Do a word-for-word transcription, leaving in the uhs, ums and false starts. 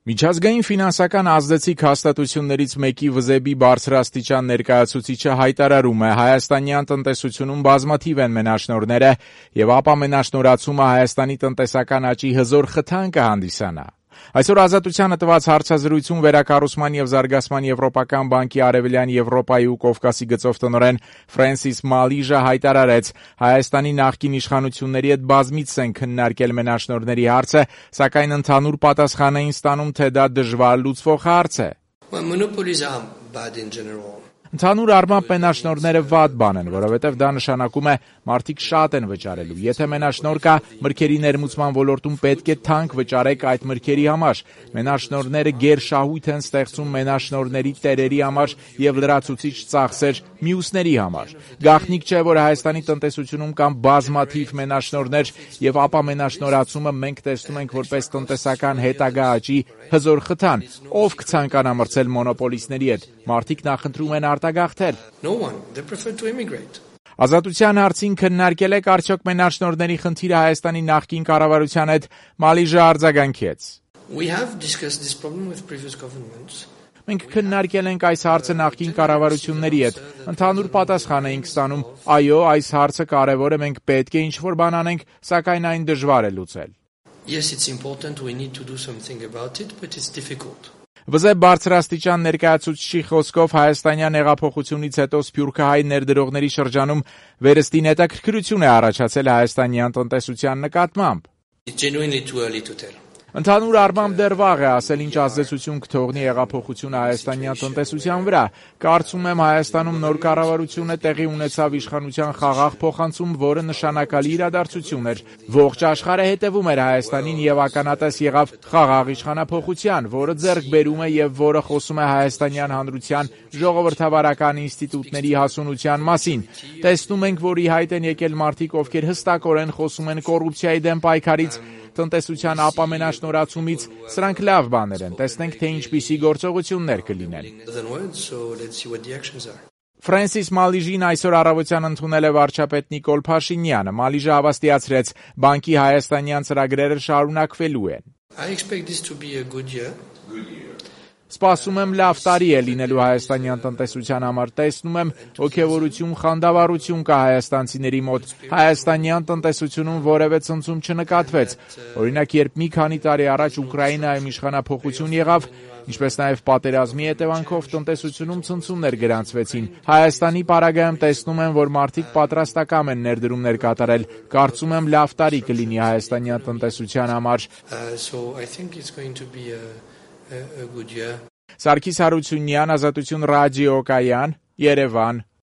Միջազգային ֆինանսական ազդեցիկ հաստատություններից մեկի վզեբի բարձրաստիճան ներկայացուցիչը հայտարարում է, հայաստանյան տնտեսությունում բազմաթիվ են մենաշնորհները եւ ապա մենաշնորհացումը Հայաստանի տնտեսական աճի հզոր խթան կհանդիսանա։ Այսօր Ազատությանը տված հարցազրույցում Վերակառուցման եւ զարգացման Եվրոպական բանկի Արևելյան Եվրոպայի ու Կովկասի գծով տնօրեն Ֆրենսիս Մալիժը հայտարարեց, Հայաստանի նախկին իշխանությունների հետ բազմիցս են քննարկել մենաշնորհների հարցը, սակայն ընդհանուր պատասխան էին ստանում, թե դա դժվար լուծվող հարց է։ Ընդհանուր առմամբ մենաշնորհները վատ բան են, որովհետև դա նշանակում է մարդիկ շատ են վճարելու։ Եթե մենաշնորհ կա, մրգերի ներմուծման ոլորտում պետք է թանկ վճարեք այդ մրգերի համար։ Մենաշնորհները գերշահույթ են ստեղծում մենաշնորհների տերերի համար եւ լրացուցիչ ծախսեր մյուսների համար։ Գաղտնիք չէ, որ Հայաստանի տնտեսությունում կան բազմաթիվ մենաշնորհներ եւ ապա մենաշնորհացումը մենք տեսնում ենք որպես տնտեսական հետագա աճի հզոր խթան։ Ով կցանկանա մրցել մոնոպոլիստների հետ։ Մարդիկ նախընտրում են արտագաղթել։ Ազատության հարցին քննարկել եք արդյոք մենաշնորհների խնդիրը Հայաստանի նախկին կառավարության հետ, Մալիժը արձագանքեց։ Մենք քննարկել ենք այս հարցը նախկին կառավարությունների հետ։ Ընդհանուր պատասխան էինք ստանում, այո, այս հարցը կարևոր է, մենք պետք է ինչ-որ բան անենք, սակայն այն դժվար է լուծել։ Yes, it's important, we need to do something about it, but it's difficult. Վզեբ բարձրաստիճան ներկայացուցչի խոսքով Հայաստանյան հեղափոխությունից հետո սփյուռքահայ ներդրողների շրջանում վերստին հետաքրքրություն է առաջացել հայաստանյան տնտեսության նկատմամբ։ It's genuinely too early to tell. Ընդհանուր առմամբ դեռ վաղ է ասել ինչ ազդեցություն կթողնի հեղափոխությունը հայաստանյան տնտեսության վրա։ Կարծում եմ Հայաստանում նոր կառավարությունը տեղի ունեցավ իշխանության խաղաղ փոխանցում, որը նշանակալի իրադարձություն էր։ Ողջ աշխարհը հետևում էր Հայաստանին եւ ականատես եղավ խաղաղ իշխանափոխության, որը ձեռք բերում է եւ որը խոսում է հայաստանյան հանրության ժողովրդավարական ինստիտուտների հասունության մասին։ Տեսնում ենք, որ ի հայտ են եկել մարդիկ, ովքեր հստակորեն խոսում են կոռուպցիայի դեմ պայքարից, տնտեսության ապամենաշնորհացումից, սրանք լավ բաներ են, տեսնենք, թե ինչպիսի գործողություններ կլինեն։ Ֆրենսիս Մալիժին այսօր առավոտյան ընդունել է վարչապետ Նիկոլ Փաշինյանը։ Մալիժը հավաստիացրեց, բանկի հայաստանյան ծրագրերը շարունակվելու են։ Սպասում եմ լավ տարի է լինելու հայաստանյան տնտեսության համար, տեսնում եմ ոգևորություն, խանդավառություն կա հայաստանցիների մոտ, հայաստանյան տնտեսությունում որևէ ցնցում չնկատվեց, օրինակ երբ մի քանի տարի առաջ Ուկրաինայում իշխանափոխություն եղավ, ինչպես նաև պատերազմի հետևանքով տնտեսությունում ցնցումներ գրանցվեցին, Հայաստանի պարագայում տեսնում եմ, որ մարդիկ պատրաստակամ են ներդրումներ կատարել, կարծում եմ լավ տարի կլինի հայաստանյան տնտեսության համար։ Սարգիս Հարությունյան, Ազատություն ռադիոկայան, Երևան։